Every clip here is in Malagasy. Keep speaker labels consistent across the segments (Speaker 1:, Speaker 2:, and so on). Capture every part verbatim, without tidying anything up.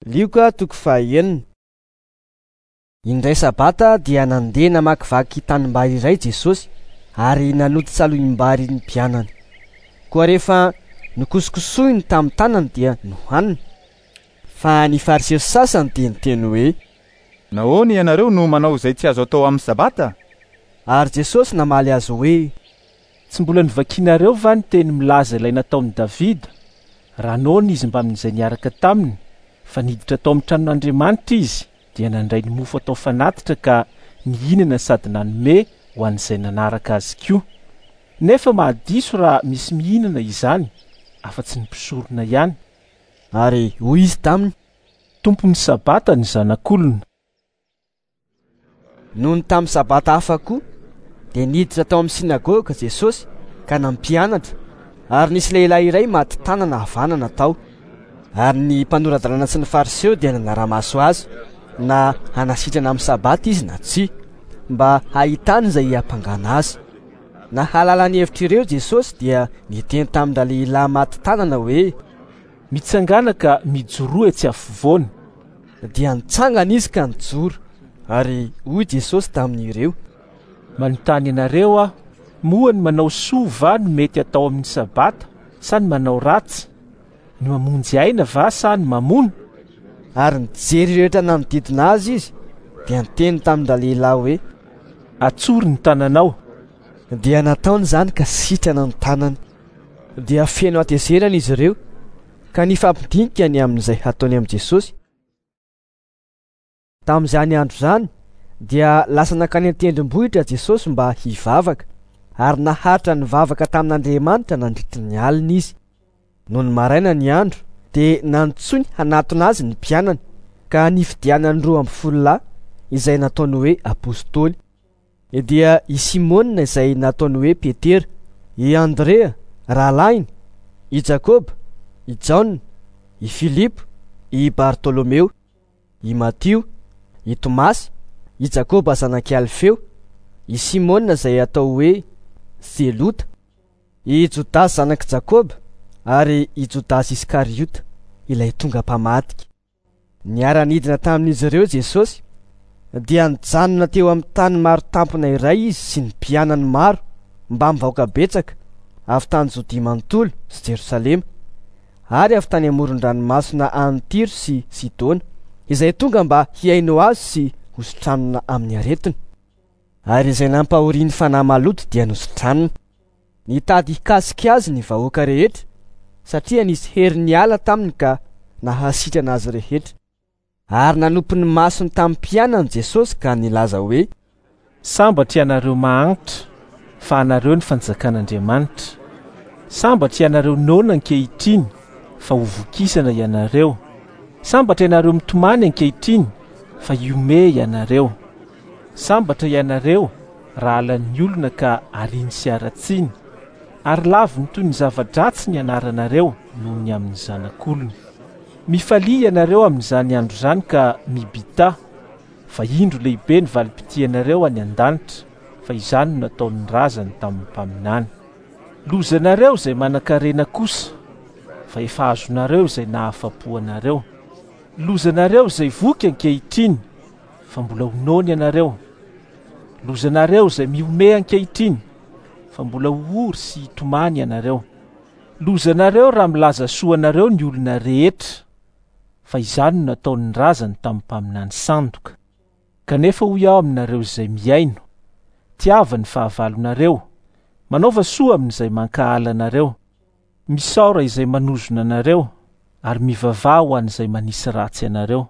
Speaker 1: Lioka toko fahaenina. Indray sabata dia nandeha namakivaky tanimbary iray Jesosy ary nanoty salohim-bary ny mpianany. Koa rehefa nokosokosohiny tamin'ny tanany dia nohaniny. Fa ny fariseo sasany dia niteny hoe:
Speaker 2: "Nahoana ianareo no manao izay tsy azo atao amin'ny sabata?"
Speaker 1: Ary Jesosy namaly azy hoe:
Speaker 3: "Tsy mbola novakinareo va ny teny milaza ilay nataon'i Davida, raha noana izy mbamin'izay niaraka taminy, fa niditra tao amin'ny tranon'Andriamanitra izy, dia nandray ny mofo atao fanatitra ka nihinana sady nanome ho an'izay nanaraka azy koa. Nefa mahadiso raha misy mihinana izany, afa-tsy ny mpisorona ihany."
Speaker 1: Ary hoy izy taminy:
Speaker 3: "Tompon'ny sabata ny zanak'olona."
Speaker 1: Nony tamin'ny sabata hafa koa dia niditra tao amin'ny sinagoga Jesosy ka nampianatra, ary nisy lehilahy iray maty tanana havanana tao. Ary ny mpanora-dalàna sy ny fariseo dia nanara-maso azy na hanasitrana amin'ny sabata izy na tsia, mba hahitany izay hiampangana azy. Nahalala ny hevitr'ireo Jesosy dia niteny tamin-dralehilahy maty tanana hoe:
Speaker 3: "Mitsangana ka mijoroa etsy afovoany."
Speaker 1: Dia nitsangana izy ka nijoro. Ary hoy Jesosy tamin'ireo:
Speaker 3: "Manontany anareo aho, moa ny manao soa va no mety atao amin'ny sabata sa ny manao ratsy? Ny mamonjy aina va sa ny mamono?"
Speaker 1: Ary nijery rehetra nanodidina azy izy dia niteny tamin-dralehilahy hoe:
Speaker 3: "Atsory ny tananao."
Speaker 1: Dia nataony izany ka sitrana ny tanany. Dia feno hatezerana izy ireo ka nifampidinika ny amin'izay hataony amin'i Jesosy. Tamin'izany andro izany dia lasa nankany an-tendrombohitra Jesosy mba hivavaka, ary naharitra nivavaka tamin'Andriamanitra nandritra ny alina izy. Nony maraina ny andro dia nantsoiny hanatona azy ny mpianany, ka nifidianany roa amby folo lahy izay nataony hoe apôstôly. Dia i Simôna izay nataony hoe Petera, i Andrea rahalahiny, i Jakoba, i Jaona, i Filipo, i Bartolomeo, i Matio, i Tomasy, i Jakoba zanak'i Alfeo, i Simôna izay atao hoe Zelota, i Jodasy zanak'i Jakoba, ary i Jodasy Iskariota ilay tonga mpamadika. Niara-nidina tamin'izy ireo Jesosy, dia nijanona teo amin'ny tany maro tampona iray izy sy ny mpianany maro mbamin'ny vahoaka betsaka avy tany Jodia manontolo sy Jerosalema, ary avy tany amoron-dranomasina any Tyro sy Sidona, izay tonga mba hihaino azy sy hositranina amin'ny aretina. Ary izay nampahorian'ny fanahy maloto dia nositranina. Nitady hikasika azy ny vahoaka rehetra, satria nisy hery niala taminy ka nahasitrana azy rehetra. Ary nanompo ny masony tamin'ny mpianany Jesosy ka nilaza hoe:
Speaker 3: "Sambatra ianareo mahantra, fa anareo ny fanjakan'Andriamanitra. Sambatra ianareo noana ankehitriny, fa ho vokisana ianareo. Sambatra ianareo mitomany ankehitriny, fa hihomehy ianareo. Sambatra ianareo raha halan'ny olona ka ariany sy haratsiny, ary laviny toy ny zava-dratsy ny anaranareo noho ny amin'ny zanak'olona. Mifalia ianareo amin'izany andro izany ka mibità, fa indro lehibe ny valim-pitianareo any an-danitra, fa izany no nataon'ny razany tamin'ny mpaminany. Lozanareo izay manan-karena kosa, fa efa azonareo izay nahafa-po anareo. Lozanareo izay voky ankehitriny, fa mbola ho noana ianareo. Lozanareo izay mihomehy ankehitriny, fa mbola ho ory sy hitomany ianareo. Lozanareo raha milaza soa anareo ny olona rehetra, fa izany no nataon'ny razany tamin'ny mpaminany sandoka. Kanefa hoy aho aminareo izay mihaino: tiava ny fahavalonareo, manaova soa amin'izay mankahala anareo, misaora izay manozona anareo, ary mivavaha ho an'izay manisy ratsy anareo.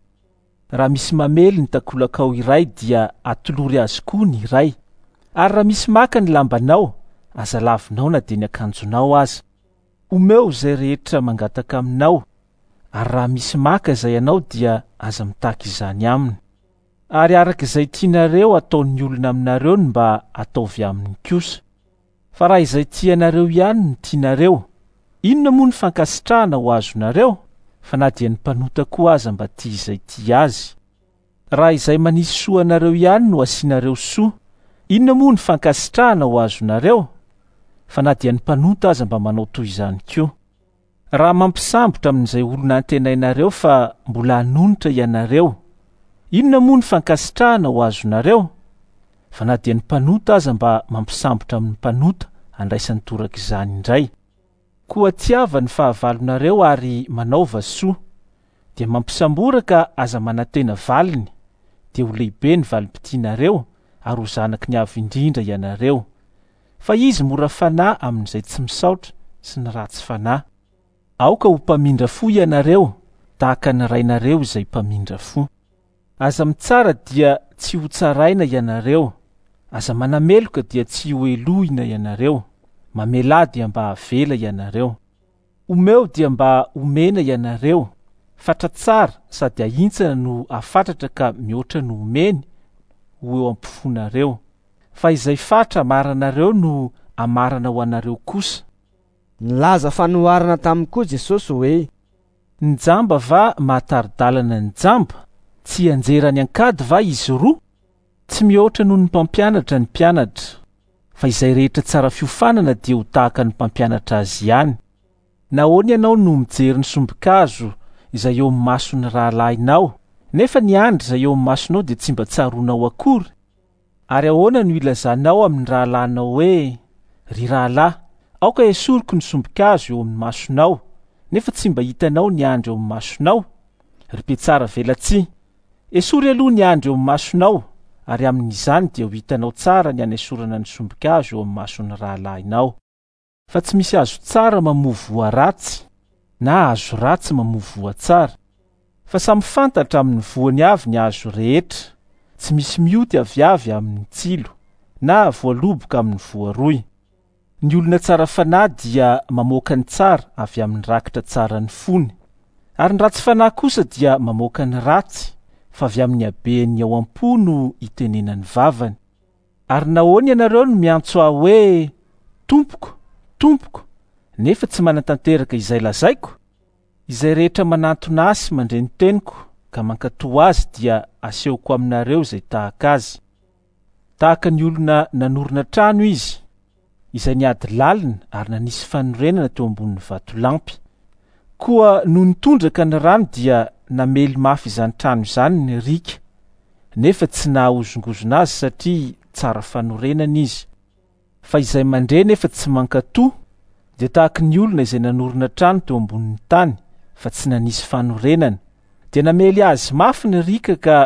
Speaker 3: Raha misy mamely ny takolakao iray dia atolory azy koa ny iray, ary raha misy maka ny lambanao, aza lavinao na dia ny akanjonao aza. Omeo izay rehetra mangataka aminao, ary raha misy maka izay anao dia aza mitaky izany aminy. Ary araka izay tianareo ataon'ny olona aminareo no mba ataovy aminy kosa. Fa raha izay tianareo ihany no tianareo, inona moa ny fankasitrahana ho azonareo? Fa na dia ny mpanota koa aza mba tia izay tia azy. Raha izay manisy soa anareo ihany no asianareo soa, inona moa ny fankasitrahana ho azonareo? Fa na dia ny mpanota aza mba manao toy izany koa. Raha mampisambotra amin'izay olona antenainareo fa mbola hanonitra ianareo, inona moa ny fankasitrahana ho azonareo? Fa na dia ny mpanota aza mba mampisambotra amin'ny mpanota andraisany toraka izany indray. Koa tiava ny fahavalonareo ary manaova soa, dia mampisambora ka aza manantena valiny, dia ho lehibe ny valim-pitianareo ary ho zanaky ny Avo Indrindra ianareo. Fa izy mora fanahy amin'izay tsy misaotra sy ny ratsy fanahy. Aoka ho mpamindra fo ianareo, tahaka ny rainareo izay mpamindra fo. Aza mitsara dia tsy ho tsaraina ianareo, aza manameloka dia tsy ho helohina ianareo, mamelà dia mba havela ianareo. Omeo dia mba omena ianareo, fatra tsara sady ahintsana no afatratra ka mihoatra no omeny ho eo am-pofonareo. Fa izay fatra amaranareo no amarana ho anareo kosa.
Speaker 1: Nilaza fanoharana taminy koa Jesosy hoe:
Speaker 3: Ny jamba va mahatari-dalana ny jamba? Tsy anjerany an-kady va izy roa? Tsy mihoatra noho ny mpampianatra ny mpianatra, fa izay rehetra tsara fiofanana dia ho tahaka ny mpampianatra azy ihany. Nahoana ianao no mijery ny sombin-kazo izay eo amin'ny mason'ny rahalahinao, nefa ny andry izay eo amin'ny masonao dia tsy mba tsaroanao akory? Ary ahoana no ilazanao amin'ny rahalahinao hoe: Ry rahalahy, aoka esoriko ny sombin-kazo eo amin'ny masonao, nefa tsy mba hitanao ny andry eo amin'ny masonao? Ry mpitsara velatsihy, esory aloha ny andry eo amin'ny masonao, ary amin'izany dia ho hitanao tsara ny anesorana ny sombin-kazo eo amin'ny mason'ny rahalahinao. Fa tsy misy hazo tsara mamoa voa ratsy, na hazo ratsy mamoa voa tsara. Fa samy fantatra amin'ny voany avy ny hazo rehetra. Tsy misy mioty aviavy amin'ny tsilo, na voaloboka amin'ny voaroy. Ny olona tsara fanahy dia mamoaka ny tsara avy amin'ny rakitra tsara ny fony, ary ny ratsy fanahy kosa dia mamoaka ny ratsy, fa avy amin'ny haben'ny ao am-po no itenenany vavany. Ary nahoana ianareo no miantso ahy hoe: Tompoko, Tompoko, nefa tsy manatanteraka izay lazaiko? Izay rehetra manantona ahy sy mandre ny teniko ka mankatò azy dia asehoko aminareo izay tahaka azy. Tahaka ny olona nanorina trano izy, izay niady lalina ary nanisy fanorenana teo ambonin'ny vatolampy. Koa noho nitondraka ny rano dia namely mafy izany trano izany ny riaka, nefa tsy nahahozongozona azy satria tsara fanorenana izy. Fa izay mandre nefa tsy mankatò dia tahaka ny olona izay nanorina trano teo ambonin'ny tany fa tsy nanisy fanorenana. Dia namely azy mafy ny riaka ka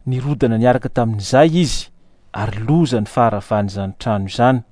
Speaker 3: nirodana niaraka tamin'izay izy, ary loza ny faharavan'izany trano izany.